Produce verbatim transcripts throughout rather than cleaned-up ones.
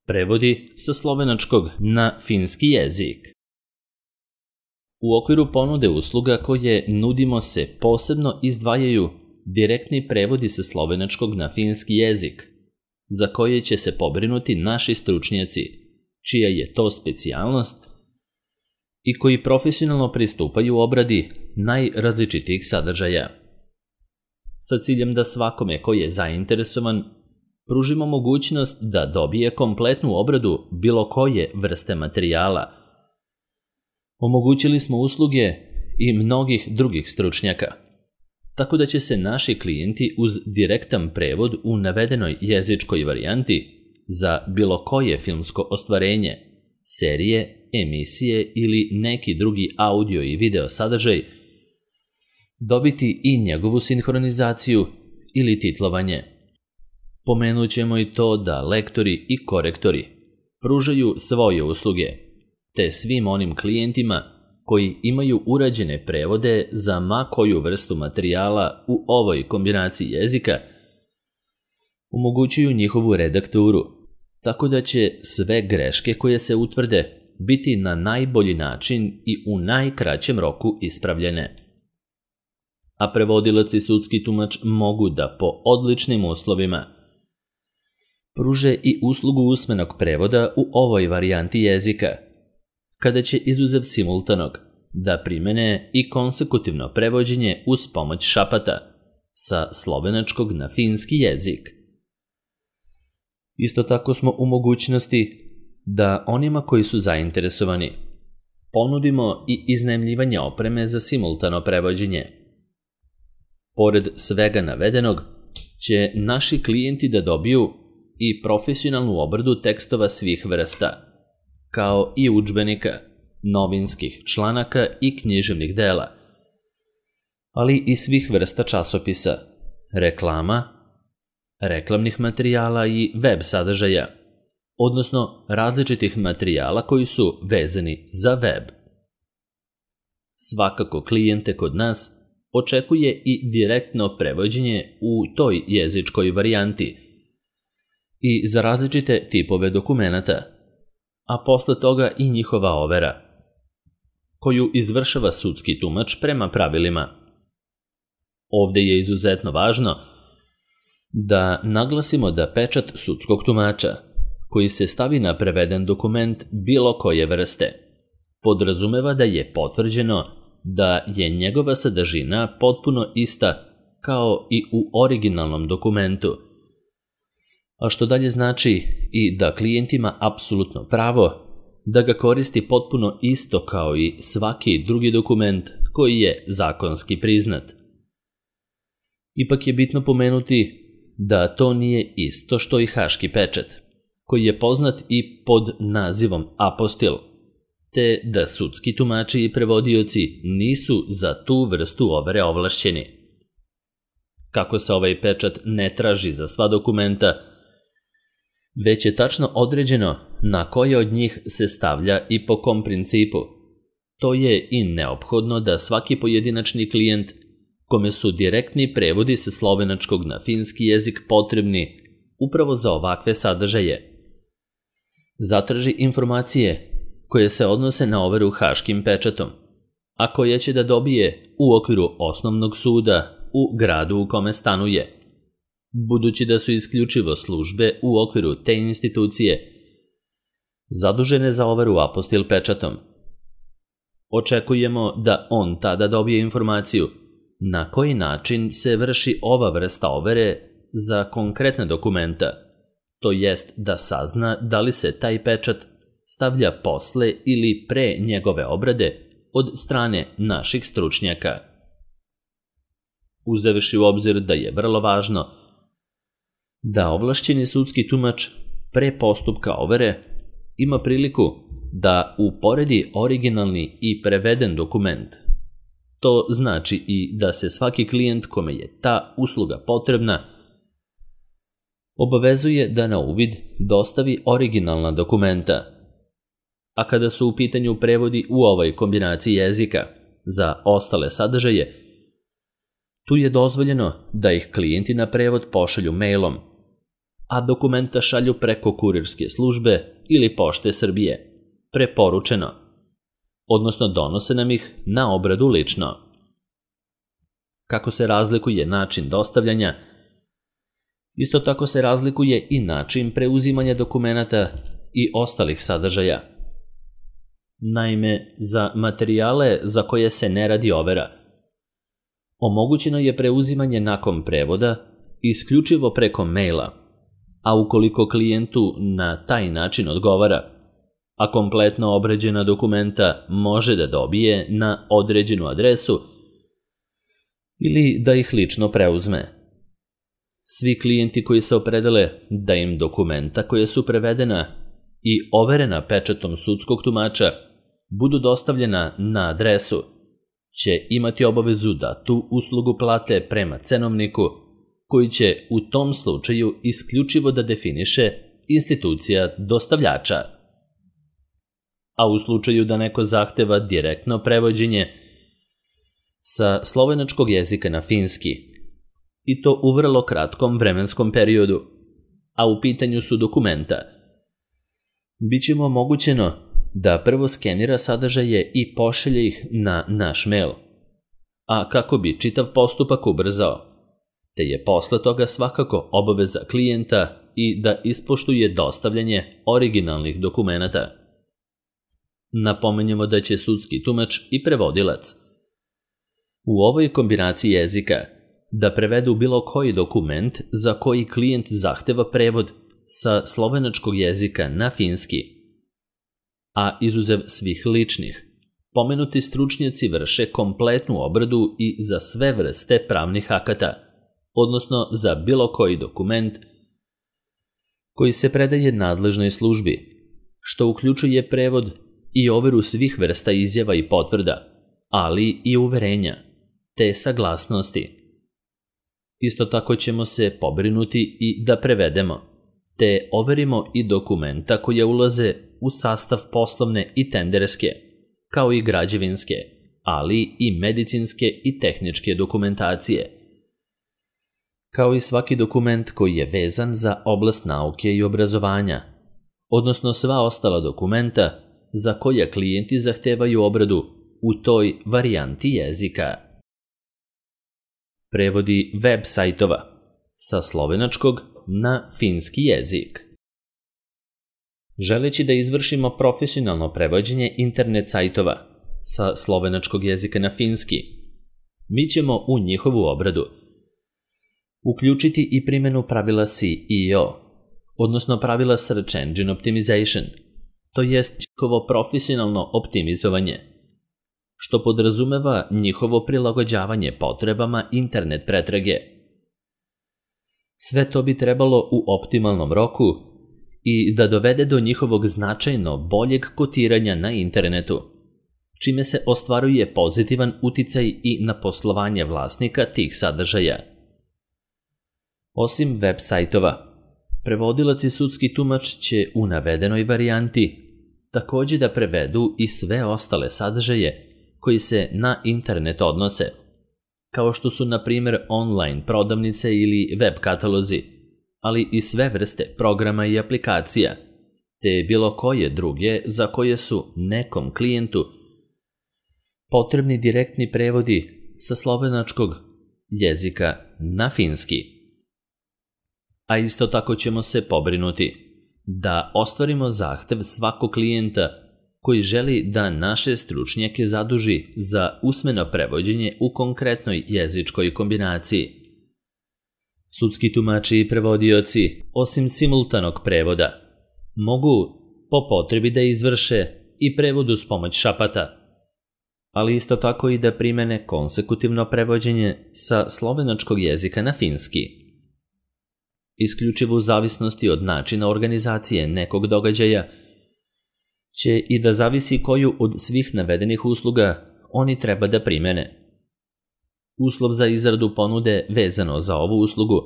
Prevodi sa slovenačkog na finski jezik. U okviru ponude usluga koje nudimo se posebno izdvajaju direktni prevodi sa slovenačkog na finski jezik, za koje će se pobrinuti naši stručnjaci, čija je to specijalnost i koji profesionalno pristupaju obradi najrazličitijih sadržaja. Sa ciljem da svakome ko je zainteresovan pružimo mogućnost da dobije kompletnu obradu bilo koje vrste materijala. Omogućili smo usluge i mnogih drugih stručnjaka, tako da će se naši klijenti uz direktan prevod u navedenoj jezičkoj varijanti za bilo koje filmsko ostvarenje, serije, emisije ili neki drugi audio i video sadržaj dobiti i njegovu sinhronizaciju ili titlovanje. Pomenut ćemo i to da lektori i korektori pružaju svoje usluge, te svim onim klijentima koji imaju urađene prevode za ma koju vrstu materijala u ovoj kombinaciji jezika omogućuju njihovu redakturu, tako da će sve greške koje se utvrde biti na najbolji način i u najkraćem roku ispravljene. A prevodilac i sudski tumač mogu da po odličnim uslovima pruže i uslugu usmenog prevoda u ovoj varijanti jezika, kada će izuzev simultanog da primene i konsekutivno prevođenje uz pomoć šapata sa slovenačkog na finski jezik. Isto tako smo u mogućnosti da onima koji su zainteresovani ponudimo i iznajmljivanje opreme za simultano prevođenje. Pored svega navedenog će naši klijenti da dobiju i profesionalnu obradu tekstova svih vrsta, kao i udžbenika, novinskih članaka i književnih dela, ali i svih vrsta časopisa, reklama, reklamnih materijala i web sadržaja, odnosno različitih materijala koji su vezani za web. Svakako klijente kod nas očekuje i direktno prevođenje u toj jezičkoj varijanti i za različite tipove dokumenata, a posle toga i njihova overa, koju izvršava sudski tumač prema pravilima. Ovde je izuzetno važno da naglasimo da pečat sudskog tumača, koji se stavi na preveden dokument bilo koje vrste, podrazumeva da je potvrđeno da je njegova sadržina potpuno ista kao i u originalnom dokumentu, a što dalje znači i da klijent ima apsolutno pravo da ga koristi potpuno isto kao i svaki drugi dokument koji je zakonski priznat. Ipak je bitno pomenuti da to nije isto što i haški pečat, koji je poznat i pod nazivom apostil, te da sudski tumači i prevodioci nisu za tu vrstu overe ovlašćeni. Kako se ovaj pečat ne traži za sva dokumenta, već je tačno određeno na koje od njih se stavlja i po kom principu. To je i neophodno da svaki pojedinačni klijent, kome su direktni prevodi sa slovenačkog na finski jezik potrebni upravo za ovakve sadržaje, zatraži informacije koje se odnose na overu haškim pečatom, a koje će da dobije u okviru osnovnog suda u gradu u kome stanuje, budući da su isključivo službe u okviru te institucije zadužene za overu apostil pečatom. Očekujemo da on tada dobije informaciju na koji način se vrši ova vrsta overe za konkretna dokumenta, to jest da sazna da li se taj pečat stavlja posle ili pre njegove obrade od strane naših stručnjaka. Uzevši u obzir da je vrlo važno da ovlašćeni sudski tumač pre postupka overe ima priliku da uporedi originalni i preveden dokument. To znači i da se svaki klijent kome je ta usluga potrebna obavezuje da na uvid dostavi originalna dokumenta. A kada su u pitanju prevodi u ovoj kombinaciji jezika za ostale sadržaje, tu je dozvoljeno da ih klijenti na prevod pošalju mailom, a dokumenta šalju preko kurirske službe ili Pošte Srbije, preporučeno, odnosno donose nam ih na obradu lično. Kako se razlikuje način dostavljanja, isto tako se razlikuje i način preuzimanja dokumenata i ostalih sadržaja. Naime, za materijale za koje se ne radi overa, omogućeno je preuzimanje nakon prevoda isključivo preko maila, a ukoliko klijentu na taj način odgovara, a kompletno obrađena dokumenta može da dobije na određenu adresu ili da ih lično preuzme. Svi klijenti koji se opredele da im dokumenta koja su prevedena i overena pečatom sudskog tumača budu dostavljena na adresu, će imati obavezu da tu uslugu plate prema cenovniku koji će u tom slučaju isključivo da definiše institucija dostavljača. A u slučaju da neko zahteva direktno prevođenje sa slovenačkog jezika na finski, i to u vrlo kratkom vremenskom periodu, a u pitanju su dokumenta, biće mu omogućeno da prvo skenira sadržaje i pošalje ih na naš mail, a kako bi čitav postupak ubrzao, te je posle toga svakako obaveza klijenta i da ispoštuje dostavljanje originalnih dokumenata. Napomenjemo da će sudski tumač i prevodilac u ovoj kombinaciji jezika da prevedu bilo koji dokument za koji klijent zahteva prevod sa slovenačkog jezika na finski, a izuzev svih ličnih, pomenuti stručnjaci vrše kompletnu obradu i za sve vrste pravnih akata, odnosno za bilo koji dokument koji se predaje nadležnoj službi, što uključuje prevod i overu svih vrsta izjava i potvrda, ali i uverenja, te saglasnosti. Isto tako ćemo se pobrinuti i da prevedemo, te overimo i dokumenta koje ulaze u sastav poslovne i tenderske, kao i građevinske, ali i medicinske i tehničke dokumentacije, kao i svaki dokument koji je vezan za oblast nauke i obrazovanja, odnosno sva ostala dokumenta za koja klijenti zahtevaju obradu u toj varijanti jezika. Prevodi web sajtova sa slovenačkog na finski jezik. Želeći da izvršimo profesionalno prevođenje internet sajtova sa slovenačkog jezika na finski, mi ćemo u njihovu obradu uključiti i primjenu pravila S E O, odnosno pravila Search Engine Optimization, to jest njihovo profesionalno optimizovanje, što podrazumeva njihovo prilagođavanje potrebama internet pretrage. Sve to bi trebalo u optimalnom roku i da dovede do njihovog značajno boljeg kotiranja na internetu, čime se ostvaruje pozitivan uticaj i na poslovanje vlasnika tih sadržaja. Osim web sajtova, prevodilac i sudski tumač će u navedenoj varijanti također da prevedu i sve ostale sadržaje koji se na internet odnose, kao što su na primjer online prodavnice ili web katalozi, ali i sve vrste programa i aplikacija, te bilo koje druge za koje su nekom klijentu potrebni direktni prevodi sa slovenačkog jezika na finski. A isto tako ćemo se pobrinuti da ostvarimo zahtev svakog klijenta koji želi da naše stručnjake zaduži za usmeno prevođenje u konkretnoj jezičkoj kombinaciji. Sudski tumači i prevodioci, osim simultanog prevoda, mogu po potrebi da izvrše i prevod uz pomoć šapata, ali isto tako i da primene konsekutivno prevođenje sa slovenačkog jezika na finski. Isključivo u zavisnosti od načina organizacije nekog događaja će i da zavisi koju od svih navedenih usluga oni treba da primene. Uslov za izradu ponude vezano za ovu uslugu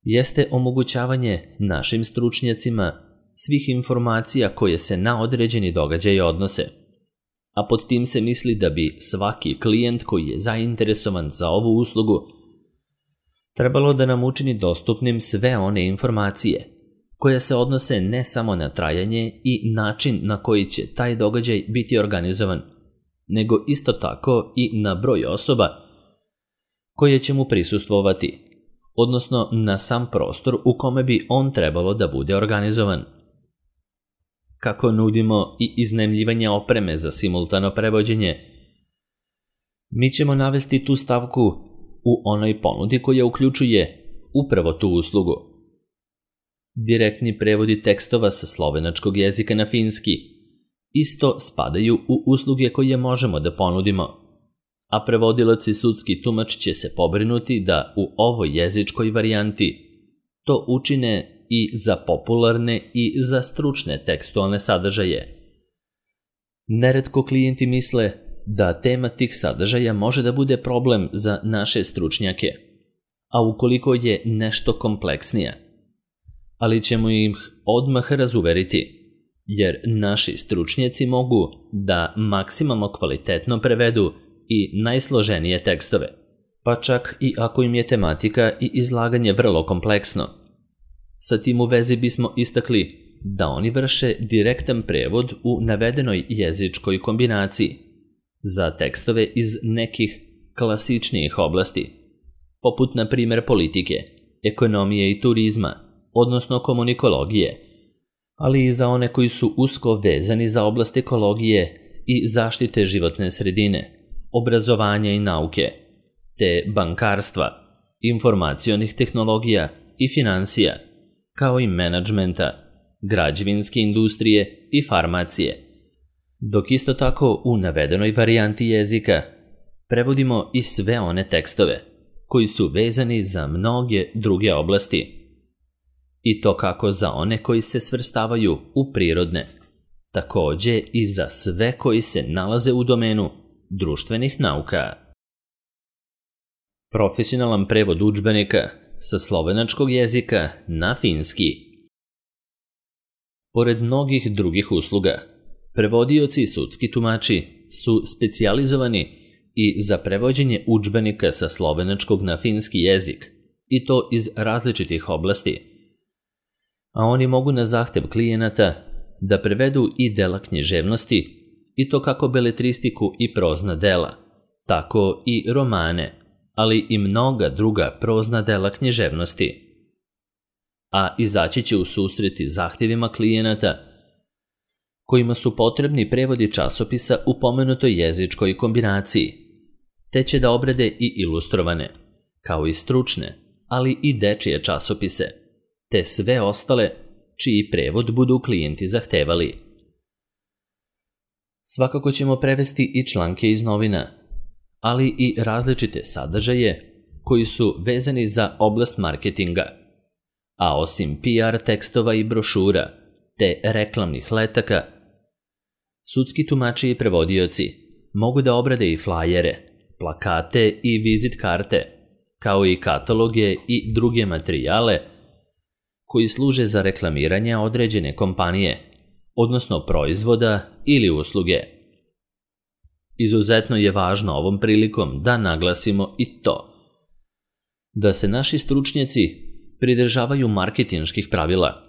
jeste omogućavanje našim stručnjacima svih informacija koje se na određeni događaj odnose, a pod tim se misli da bi svaki klijent koji je zainteresovan za ovu uslugu trebalo da nam učini dostupnim sve one informacije koje se odnose ne samo na trajanje i način na koji će taj događaj biti organizovan, nego isto tako i na broj osoba koje će mu prisustvovati, odnosno na sam prostor u kome bi on trebalo da bude organizovan. Kako nudimo i iznajmljivanje opreme za simultano prevođenje, mi ćemo navesti tu stavku u onoj ponudi koja uključuje upravo tu uslugu. Direktni prevodi tekstova sa slovenačkog jezika na finski isto spadaju u usluge koje možemo da ponudimo, a prevodilac i sudski tumač će se pobrinuti da u ovoj jezičkoj varijanti to učine i za popularne i za stručne tekstualne sadržaje. Neretko klijenti misle da tema tih sadržaja može da bude problem za naše stručnjake, a ukoliko je nešto kompleksnija, ali ćemo ih odmah razuveriti, jer naši stručnjaci mogu da maksimalno kvalitetno prevedu i najsloženije tekstove, pa čak i ako im je tematika i izlaganje vrlo kompleksno. Sa tim u vezi bismo istakli da oni vrše direktan prevod u navedenoj jezičkoj kombinaciji za tekstove iz nekih klasičnijih oblasti, poput na primjer politike, ekonomije i turizma, odnosno komunikologije, ali i za one koji su usko vezani za oblast ekologije i zaštite životne sredine, obrazovanja i nauke, te bankarstva, informacionih tehnologija i finansija, kao i menadžmenta, građevinske industrije i farmacije. Dok isto tako u navedenoj varijanti jezika prevodimo i sve one tekstove koji su vezani za mnoge druge oblasti, i to kako za one koji se svrstavaju u prirodne, takođe i za sve koji se nalaze u domenu društvenih nauka. Profesionalan prevod udžbenika sa slovenačkog jezika na finski. Pored mnogih drugih usluga, prevodioci i sudski tumači su specijalizovani i za prevođenje udžbenika sa slovenačkog na finski jezik, i to iz različitih oblasti, a oni mogu na zahtev klijenata da prevedu i dela književnosti, i to kako beletristiku i prozna dela, tako i romane, ali i mnoga druga prozna dela književnosti. A izaći će u susreti zahtjevima klijenata kojima su potrebni prevodi časopisa u pomenutoj jezičkoj kombinaciji, te će da obrade i ilustrovane, kao i stručne, ali i dečije časopise, te sve ostale čiji prevod budu klijenti zahtevali. Svakako ćemo prevesti i članke iz novina, ali i različite sadržaje koji su vezani za oblast marketinga, a osim P R tekstova i brošura te reklamnih letaka, sudski tumači i prevodioci mogu da obrade i flajere, plakate i vizit karte, kao i kataloge i druge materijale koji služe za reklamiranje određene kompanije, odnosno proizvoda ili usluge. Izuzetno je važno ovom prilikom da naglasimo i to da se naši stručnjaci pridržavaju marketinških pravila,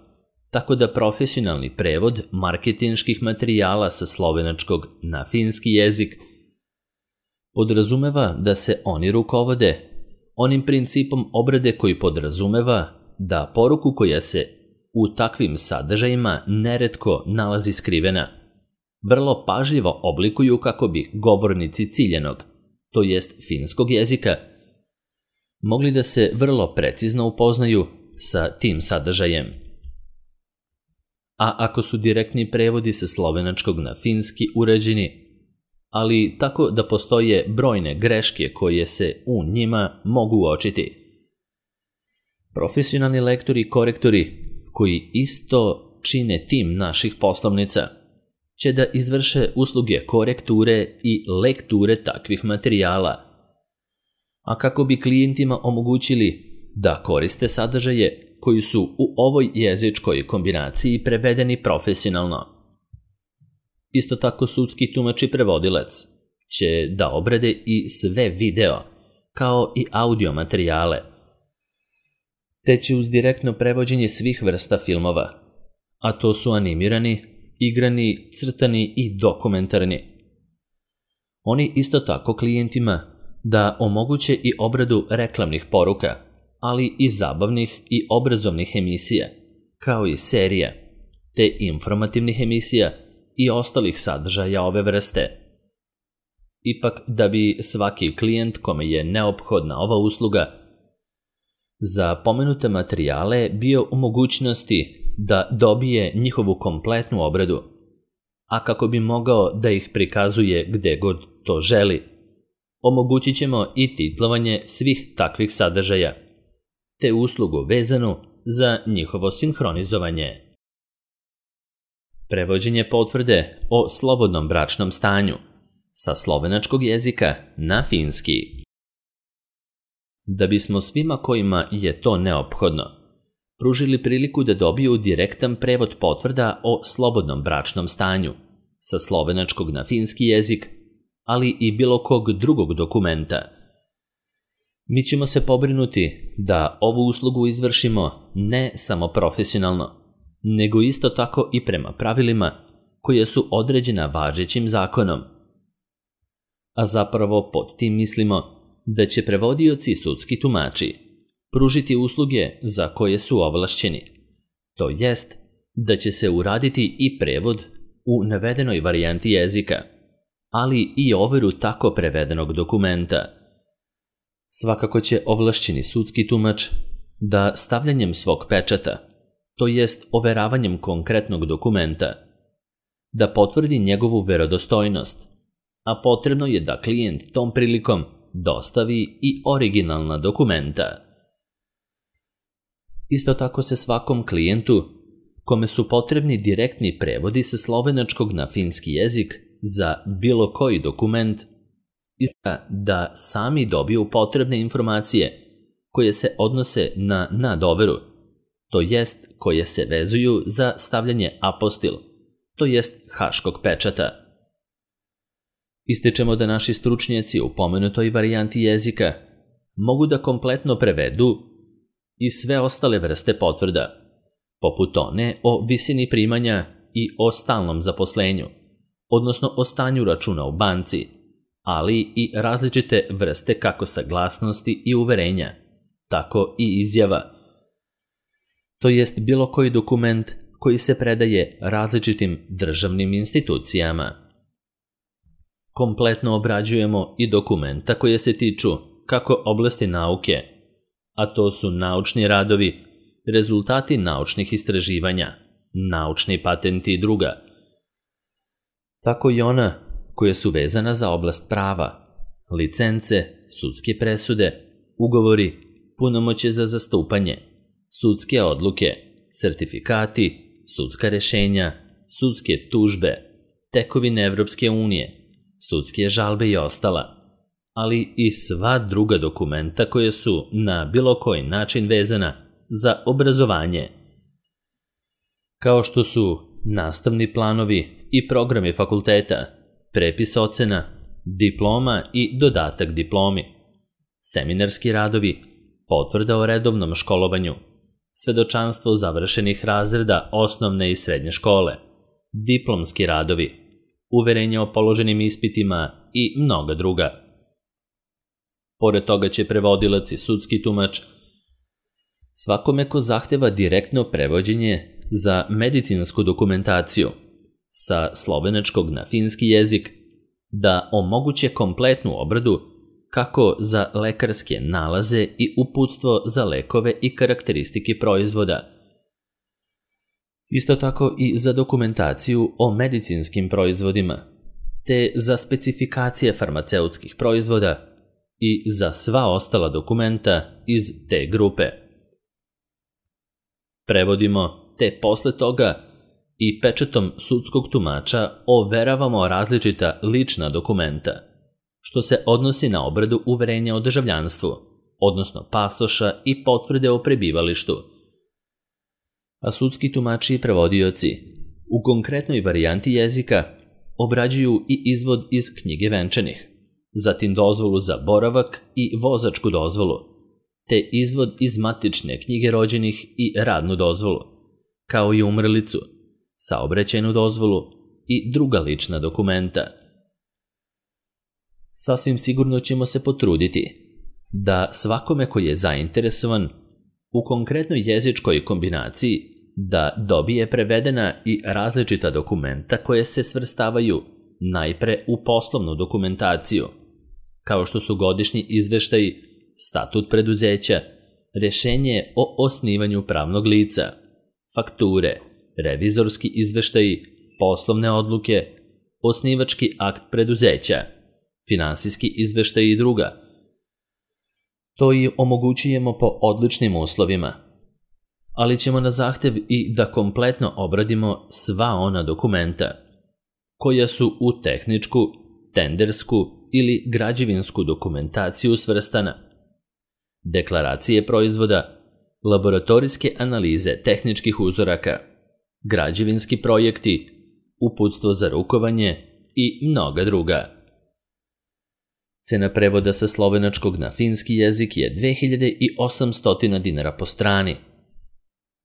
tako da profesionalni prevod marketinških materijala sa slovenačkog na finski jezik podrazumeva da se oni rukovode onim principom obrade koji podrazumeva da poruku koja se u takvim sadržajima neretko nalazi skrivena vrlo pažljivo oblikuju kako bi govornici ciljenog, to jest finskog jezika, mogli da se vrlo precizno upoznaju sa tim sadržajem. A ako su direktni prevodi sa slovenačkog na finski urađeni, ali tako da postoje brojne greške koje se u njima mogu uočiti, profesionalni lektori i korektori koji isto čine tim naših poslovnica će da izvrše usluge korekture i lekture takvih materijala, a kako bi klijentima omogućili da koriste sadržaje koji su u ovoj jezičkoj kombinaciji prevedeni profesionalno. Isto tako sudski tumač i prevodilac će da obrade i sve video, kao i audio materijale, te će uz direktno prevođenje svih vrsta filmova, a to su animirani, igrani, crtani i dokumentarni. Oni isto tako klijentima da omoguće i obradu reklamnih poruka, ali i zabavnih i obrazovnih emisija, kao i serija, te informativnih emisija i ostalih sadržaja ove vrste. Ipak, da bi svaki klijent kome je neophodna ova usluga za pomenute materijale bio u mogućnosti da dobije njihovu kompletnu obradu, a kako bi mogao da ih prikazuje gde god to želi, omogućit ćemo i titlovanje svih takvih sadržaja, te uslugu vezanu za njihovo sinhronizovanje. Prevođenje potvrde o slobodnom bračnom stanju sa slovenačkog jezika na finski. Da bismo svima kojima je to neophodno pružili priliku da dobiju direktan prevod potvrda o slobodnom bračnom stanju sa slovenačkog na finski jezik, ali i bilo kog drugog dokumenta, mi ćemo se pobrinuti da ovu uslugu izvršimo ne samo profesionalno, nego isto tako i prema pravilima koje su određena važećim zakonom. A zapravo pod tim mislimo da će prevodioci i sudski tumači pružiti usluge za koje su ovlašćeni, to jest da će se uraditi i prevod u navedenoj varijanti jezika, ali i overu tako prevedenog dokumenta. Svakako će ovlašćeni sudski tumač da stavljanjem svog pečata, to jest overavanjem konkretnog dokumenta, da potvrdi njegovu verodostojnost, a potrebno je da klijent tom prilikom dostavi i originalna dokumenta. Isto tako se svakom klijentu kome su potrebni direktni prevodi sa slovenačkog na finski jezik za bilo koji dokument da sami dobiju potrebne informacije koje se odnose na nadoveru, to jest koje se vezuju za stavljanje apostil, to jest haškog pečata. Ističemo da naši stručnjaci u pomenutoj varijanti jezika mogu da kompletno prevedu i sve ostale vrste potvrda, poput one o visini primanja i o stalnom zaposlenju, odnosno o stanju računa u banci, ali i različite vrste kako saglasnosti i uverenja, tako i izjava, to jest bilo koji dokument koji se predaje različitim državnim institucijama. Kompletno obrađujemo i dokumenta koje se tiču kako oblasti nauke, a to su naučni radovi, rezultati naučnih istraživanja, naučni patenti i druga, tako i ona koje su vezana za oblast prava, licence, sudske presude, ugovori, punomoćje za zastupanje, sudske odluke, sertifikati, sudska rešenja, sudske tužbe, tekovine Evropske unije, sudske žalbe i ostala, ali i sva druga dokumenta koje su na bilo koji način vezana za obrazovanje, kao što su nastavni planovi i programi fakulteta, prepis ocena, diploma i dodatak diplomi, seminarski radovi, potvrda o redovnom školovanju, svedočanstvo završenih razreda osnovne i srednje škole, diplomski radovi, uverenje o položenim ispitima i mnoga druga. Pored toga će prevodilac i sudski tumač svakome ko zahteva direktno prevođenje za medicinsku dokumentaciju sa slovenačkog na finski jezik da omoguće kompletnu obradu kako za lekarske nalaze i uputstvo za lekove i karakteristike proizvoda. Isto tako i za dokumentaciju o medicinskim proizvodima, te za specifikacije farmaceutskih proizvoda i za sva ostala dokumenta iz te grupe. Prevodimo, te posle toga i pečatom sudskog tumača overavamo različita lična dokumenta, što se odnosi na obradu uverenja o državljanstvu, odnosno pasoša i potvrde o prebivalištu. A sudski tumači i prevodioci u konkretnoj varijanti jezika obrađuju i izvod iz knjige venčanih, zatim dozvolu za boravak i vozačku dozvolu, te izvod iz matične knjige rođenih i radnu dozvolu, kao i umrlicu, saobraćajnu dozvolu i druga lična dokumenta. Sasvim sigurno ćemo se potruditi da svakome koji je zainteresovan u konkretnoj jezičkoj kombinaciji da dobije prevedena i različita dokumenta koje se svrstavaju najpre u poslovnu dokumentaciju, kao što su godišnji izveštaji, statut preduzeća, rješenje o osnivanju pravnog lica, fakture, revizorski izveštaji, poslovne odluke, osnivački akt preduzeća, finansijski izveštaj i druga. To i omogućujemo po odličnim uslovima, ali ćemo na zahtev i da kompletno obradimo sva ona dokumenta koja su u tehničku, tendersku ili građevinsku dokumentaciju svrstana. Deklaracije proizvoda, laboratorijske analize tehničkih uzoraka, građevinski projekti, uputstvo za rukovanje i mnoga druga. Cena prevoda sa slovenačkog na finski jezik je dve hiljade osamsto dinara po strani.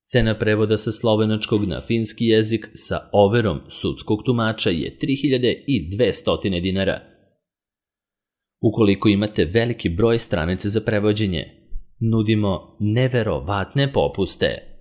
Cena prevoda sa slovenačkog na finski jezik sa overom sudskog tumača je tri hiljade dvesta dinara. Ukoliko imate veliki broj stranica za prevođenje, nudimo neverovatne popuste.